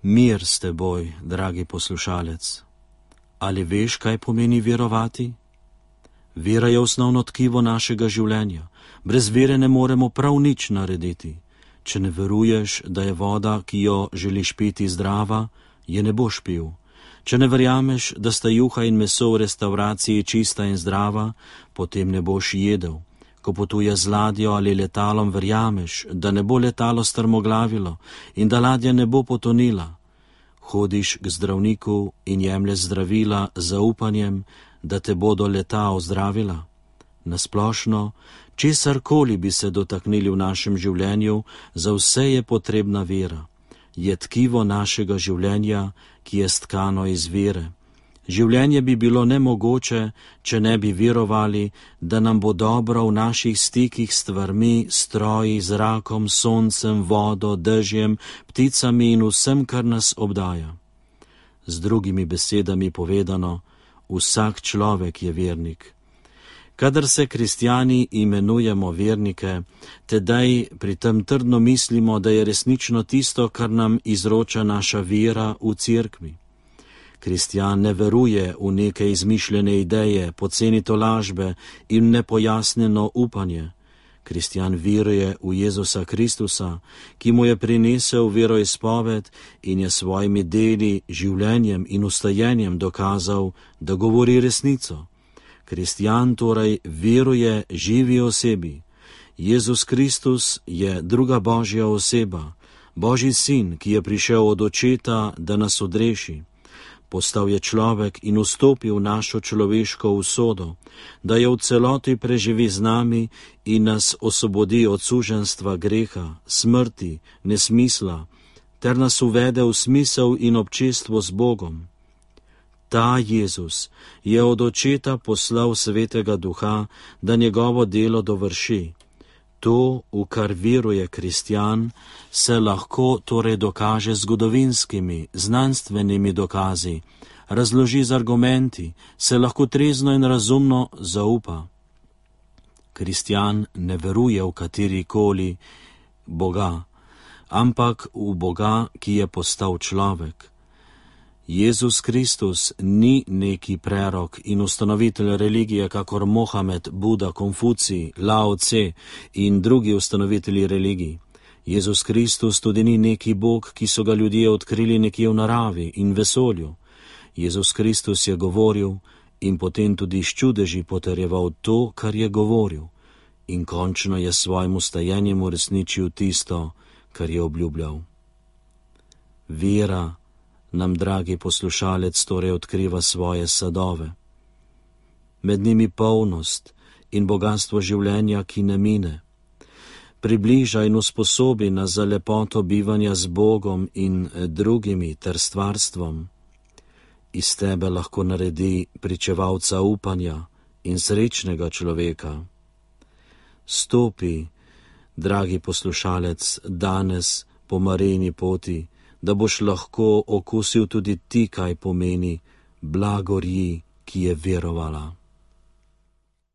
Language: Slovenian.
Mir s teboj, dragi poslušalec. Ali veš, kaj pomeni verovati? Vera je osnovno tkivo našega življenja. Brez vere ne moremo prav nič narediti. Če ne veruješ, da je voda, ki jo želiš piti, zdrava, je ne boš pil. Če ne verjameš, da sta juha in meso v restavraciji čista in zdrava, potem ne boš jedel. Ko potuješ z ladjo ali letalom, verjameš, da ne bo letalo strmoglavilo in da ladja ne bo potonila. Hodiš k zdravniku in jemlješ zdravila z zaupanjem, da te bodo leta ozdravila. Nasplošno, česarkoli bi se dotaknili v našem življenju, za vse je potrebna vera. Je tkivo našega življenja, ki je stkano iz vere. Življenje bi bilo nemogoče, če ne bi verovali, da nam bo dobro v naših stikih s stvarmi, stroji, zrakom, soncem, vodo, dežjem, pticami in vsem, kar nas obdaja. Z drugimi besedami povedano, vsak človek je vernik. Kadar se kristjani imenujemo vernike, tedaj pri tem trdno mislimo, da je resnično tisto, kar nam izroča naša vera v cerkvi. Kristjan ne veruje v neke izmišljene ideje, poceni tolažbe in nepojasnjeno upanje. Kristjan veruje v Jezusa Kristusa, ki mu je prinesel veroizpoved in je svojimi deli, življenjem in ustajenjem dokazal, da govori resnico. Kristjan torej veruje živi osebi. Jezus Kristus je druga Božja oseba, Božji sin, ki je prišel od Očeta, da nas odreši. Postal je človek in vstopil v našo človeško usodo, da jo v celoti preživi z nami in nas osvobodi od suženjstva greha, smrti, nesmisla, ter nas uvede v smisel in občestvo z Bogom. Ta Jezus je od Očeta poslal Svetega Duha, da njegovo delo dovrši. To, v kar veruje kristjan, se lahko torej dokaže z zgodovinskimi, znanstvenimi dokazi, razloži z argumenti, se lahko trezno in razumno zaupa. Kristjan ne veruje v katerikoli Boga, ampak v Boga, ki je postal človek. Jezus Kristus ni neki prerok in ustanovitelj religije, kakor Mohamed, Buda, Konfucij, Lao Tse in drugi ustanovitelji religij. Jezus Kristus tudi ni neki Bog, ki so ga ljudje odkrili nekje v naravi in vesolju. Jezus Kristus je govoril in potem tudi s čudeži potrjeval to, kar je govoril, in končno je svojim ustajenjem uresničil tisto, kar je obljubljal. Vera nam, dragi poslušalec, torej odkriva svoje sadove. Med njimi polnost in bogatstvo življenja, ki ne mine. Približa in usposobi nas za lepoto bivanja z Bogom in drugimi ter stvarstvom. Iz tebe lahko naredi pričevalca upanja in srečnega človeka. Stopi, dragi poslušalec, danes po Marijini poti, da boš lahko okusil tudi ti, kaj pomeni blagorji, ki je verovala.